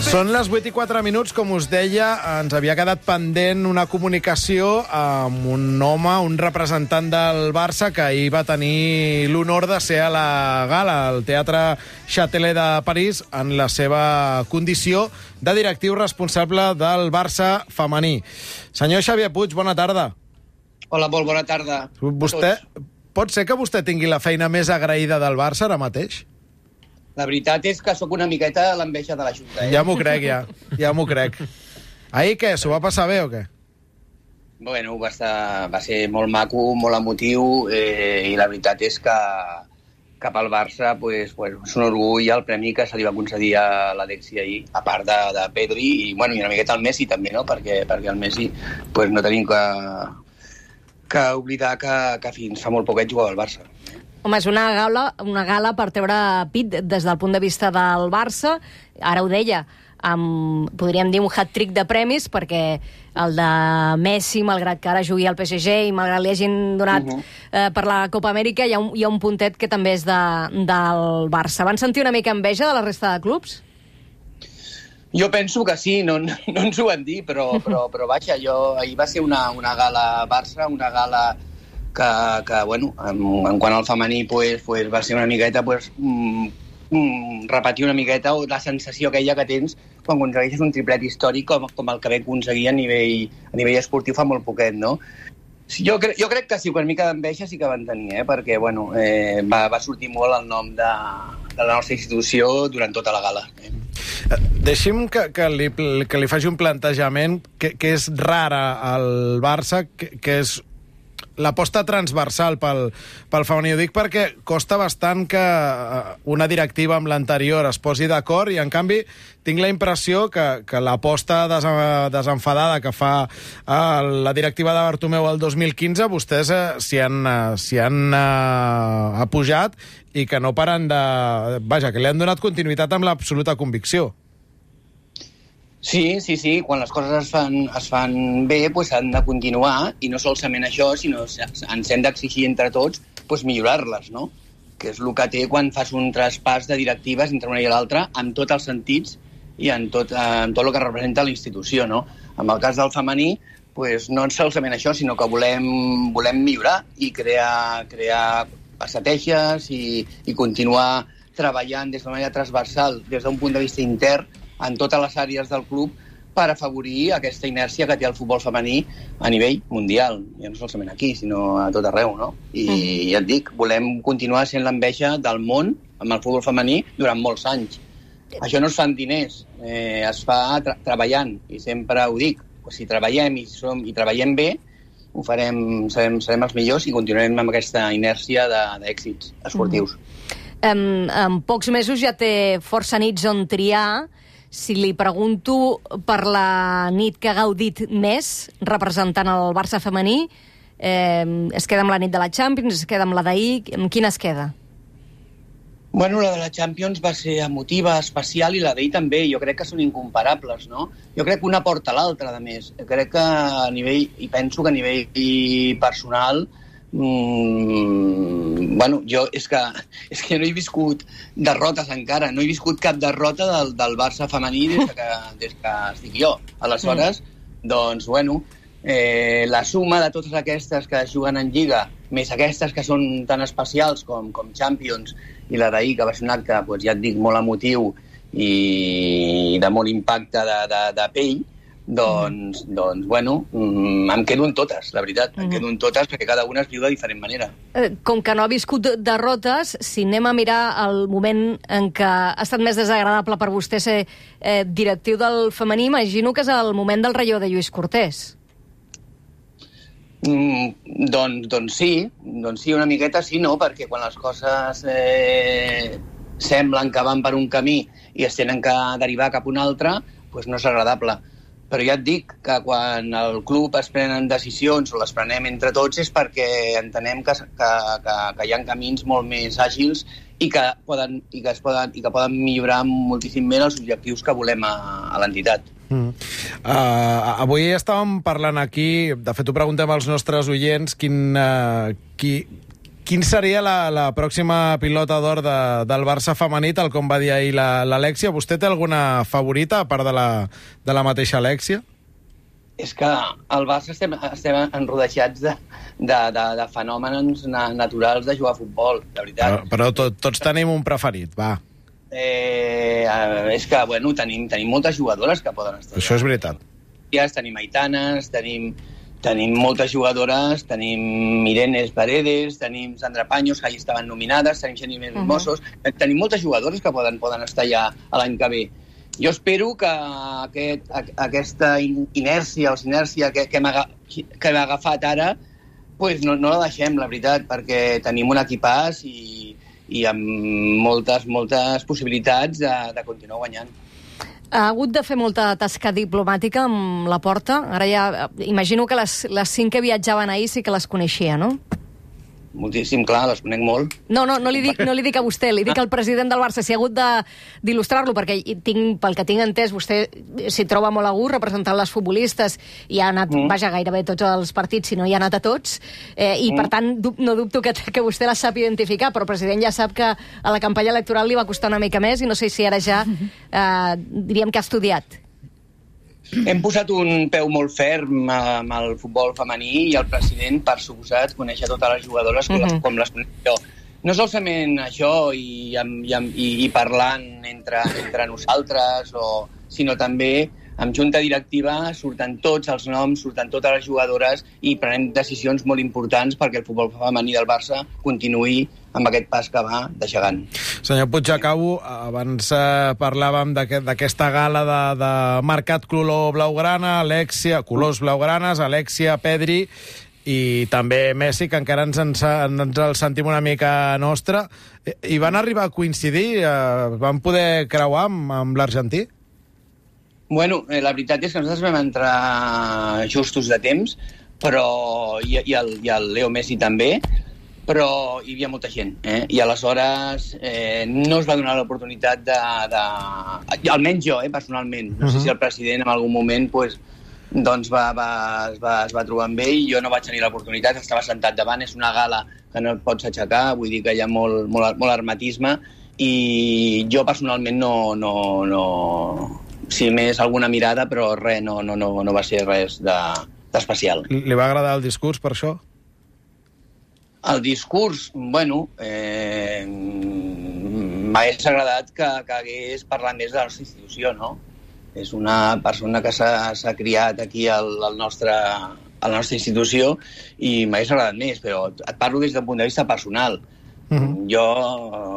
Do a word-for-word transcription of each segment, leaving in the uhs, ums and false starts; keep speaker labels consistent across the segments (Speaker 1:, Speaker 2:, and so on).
Speaker 1: Són les vuit i quatre minuts, com us deia, ens havia quedat pendent una comunicació amb un home, un representant del Barça, que ahir va tenir l'honor de ser a la gala, al Teatre Châtelet de París, en la seva condició de directiu responsable del Barça femení. Senyor Xavier Puig, bona tarda.
Speaker 2: Hola, molt bona tarda.
Speaker 1: Vostè, pot ser que vostè tingui la feina més agraïda del Barça ara mateix?
Speaker 2: La veritat és que sóc una miqueta l'enveja de la Junta. Eh?
Speaker 1: Ja m'ho crec, ja. Ja m'ho crec. Ahir què? S'ho va passar bé o què?
Speaker 2: Bueno, va, estar, va ser molt maco, molt emotiu, eh, i la veritat és que cap al Barça pues, pues, és un orgull el premi que se li va concedir a l'Alexi ahir, a part de, de Pedri i, bueno, i una miqueta al Messi també, no? perquè, perquè el Messi pues, no tenim que, que oblidar que, que fins fa molt poquet jugava al Barça.
Speaker 3: Home, és una gala, una gala per treure pit des del punt de vista del Barça. Ara ho deia, amb, podríem dir un hat-trick de premis, perquè el de Messi, malgrat que ara jugui al P S G i malgrat li hagin donat uh -huh. eh, per la Copa Amèrica, hi ha, un, hi ha un puntet que també és de, del Barça. Van sentir una mica enveja de la resta de clubs?
Speaker 2: Jo penso que sí, no, no ens ho van dir, però, però, però vaja, jo, ahir va ser una, una gala Barça, una gala que, que bueno, en, en quant al femení pues, pues, va ser una miqueta pues, mm, mm, repetir una miqueta la sensació aquella que tens quan aconsegueixes un triplet històric com, com el que vam aconseguir a nivell, a nivell esportiu fa molt poquet, no? Jo, cre jo crec que sí, per mica d'enveja sí que van tenir, eh? perquè bueno, eh, va, va sortir molt el nom de, de la nostra institució durant tota la gala. Eh?
Speaker 1: Deixi'm que, que, li, que li faci un plantejament que, que és rara al Barça, que, que és l'aposta transversal pel, pel femení. Ho dic perquè costa bastant que una directiva amb l'anterior es posi d'acord i, en canvi, tinc la impressió que, que l'aposta des, desenfadada que fa eh, la directiva de Bartomeu el dos mil quinze, vostès eh, s'hi han, eh, han eh, apujat i que no paren de... Vaja, que li han donat continuïtat amb l'absoluta convicció.
Speaker 2: Sí, sí, sí. Quan les coses es fan, es fan bé, pues, han de continuar, i no solament això, sinó ens hem d'exigir entre tots pues, millorar-les, no? Que és el que té quan fas un traspàs de directives entre una i l'altra, en tots els sentits i en tot, en tot el que representa la institució, no? En el cas del femení, pues, no solament això, sinó que volem, volem millorar i crear, crear estratègies i, i continuar treballant des de manera transversal, des d'un punt de vista intern, en totes les àrees del club per afavorir aquesta inèrcia que té el futbol femení a nivell mundial. Ja no solament aquí, sinó a tot arreu, no? I mm. ja et dic, volem continuar sent l'enveja del món amb el futbol femení durant molts anys. Això no es fa amb diners, eh, es fa tra treballant, i sempre ho dic, si treballem i, som, i treballem bé, ho farem, serem, serem els millors i continuarem amb aquesta inèrcia d'èxits esportius.
Speaker 3: Mm. En, en pocs mesos ja té força nits on triar. Si li pregunto per la nit que ha gaudit més representant el Barça femení, eh, es queda amb la nit de la Champions, es queda amb la d'ahir, amb quina es queda?
Speaker 2: Bueno, la de la Champions va ser emotiva, especial, i la d'ahir també. Jo crec que són incomparables, no? Jo crec que una porta a l'altra, a més. Jo crec que a nivell, i penso que a nivell personal, Mm, bueno, jo és que, és que no he viscut derrotes encara, no he viscut cap derrota del, del Barça femení des que, des que estic jo. Aleshores, mm. doncs, bueno, eh, la suma de totes aquestes que juguen en Lliga, més aquestes que són tan especials com, com Champions, i la d'ahir, que va ser un acte, doncs, ja et dic, molt emotiu i de molt impacte de, de, de pell, doncs, mm. doncs, bueno, mm, em quedo en totes, la veritat. Mm. Em quedo en totes perquè cada una es viu de diferent manera.
Speaker 3: Eh, com que no ha viscut derrotes, si anem a mirar el moment en què ha estat més desagradable per vostè ser eh, directiu del femení, imagino que és el moment del relleu de Lluís Cortés.
Speaker 2: Mm, doncs, doncs sí, doncs sí, una miqueta sí, no? Perquè quan les coses eh, semblen que van per un camí i es tenen que derivar cap a un altre, doncs no és agradable. Però ja et dic que quan el club es prenen decisions o les prenem entre tots és perquè entenem que, que, que, que hi ha camins molt més àgils i que poden, i que es poden, i que poden millorar moltíssim més els objectius que volem a, a l'entitat.
Speaker 1: Mm. Uh, avui estàvem parlant aquí, de fet ho preguntem als nostres oients, quin, uh, qui, quin seria la, la pròxima pilota d'or de, del Barça femení, tal com va dir ahir l'Alèxia? Vostè té alguna favorita, a part de la, de la mateixa Alèxia?
Speaker 2: És que al Barça estem, estem enrodeixats de, de, de, de fenòmens na, naturals de jugar a futbol, de veritat.
Speaker 1: Però, però to, tots tenim un preferit, va.
Speaker 2: Eh, és que, bueno, tenim, tenim moltes jugadores que poden estar.
Speaker 1: Això és veritat.
Speaker 2: Tenim Aitanes, tenim, tenim moltes jugadores, tenim Irene Paredes, tenim Sandra Paños, que hi estaven nominades, tenim Xeni Hermosos, uh -huh. tenim moltes jugadores que poden, poden estar ja l'any que ve. Jo espero que aquest, aquesta inèrcia o sinèrcia que, que hem agafat ara pues no, no la deixem, la veritat, perquè tenim un equipàs i, i amb moltes, moltes possibilitats de, de continuar guanyant.
Speaker 3: Ha hagut de fer molta tasca diplomàtica amb la Porta. Ara ja imagino que les, les cinc que viatjaven ahir sí que les coneixia, no?
Speaker 2: Moltíssim, clar, les conec molt.
Speaker 3: No, no, no li dic, no li dic a vostè, li dic al president del Barça. Si ha hagut d'il·lustrar-lo, perquè tinc, pel que tinc entès, vostè s'hi troba molt a gust representant les futbolistes i ha anat, mm. vaja, gairebé tots els partits, si no hi ha anat a tots, eh, i mm. per tant no dubto que, que vostè la sap identificar, però el president ja sap que a la campanya electoral li va costar una mica més i no sé si ara ja, eh, diríem que ha estudiat.
Speaker 2: Hem posat un peu molt ferm amb el futbol femení i el president, per suposat, conèixer totes les jugadores com, uh-huh. les, com les conec jo. No solament això i, i, i, i parlant entre, entre nosaltres, o, sinó també amb junta directiva surten tots els noms, surten totes les jugadores i prenem decisions molt importants perquè el futbol femení del Barça continuï amb aquest pas que va de gegant.
Speaker 1: Senyor Puig, acabo. Abans eh, parlàvem d'aquesta gala de, de Mercat Color Blaugrana, Alèxia, colors blaugranes, Alèxia, Pedri i també Messi, que encara ens, ens, ens el sentim una mica nostra. I van arribar a coincidir? Eh, van poder creuar amb, amb l'argentí?
Speaker 2: Bueno, eh, la veritat és que nosaltres vam entrar justos de temps, però i, i, el, i el Leo Messi també, però hi havia molta gent, eh? I aleshores eh, no es va donar l'oportunitat de, de... Almenys jo, eh, personalment. No uh-huh. sé si el president en algun moment pues, doncs va, va, es, va, es va trobar amb ell i jo no vaig tenir l'oportunitat, estava sentat davant, és una gala que no et pots aixecar, vull dir que hi ha molt, molt, molt hermetisme i jo personalment no... no, no sí, més alguna mirada, però res, no, no, no, no va ser res d'especial.
Speaker 1: De, Li va agradar el discurs, per això?
Speaker 2: El discurs, bueno, eh, m'hagués agradat que, que hagués parlat més de la nostra institució, no? És una persona que s'ha criat aquí al, al nostre, a la nostra institució i m'hagués agradat més, però et parlo des d'un punt de vista personal. Uh-huh. Jo,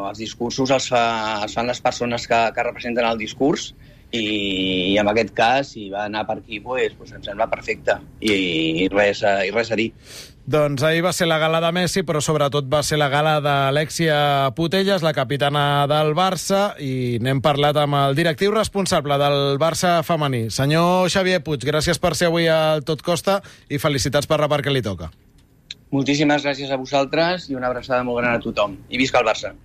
Speaker 2: els discursos els, fa, els fan les persones que, que representen el discurs i, i en aquest cas, si va anar per aquí, pues, pues em sembla perfecte i, i, res, i res a dir.
Speaker 1: Doncs ahir va ser la gala de Messi, però sobretot va ser la gala d'Alèxia Putellas, la capitana del Barça, i n'hem parlat amb el directiu responsable del Barça femení. Senyor Xavier Puig, gràcies per ser avui al Tot Costa i felicitats per la part que li toca.
Speaker 2: Moltíssimes gràcies a vosaltres i una abraçada molt gran a tothom. I visca el Barça!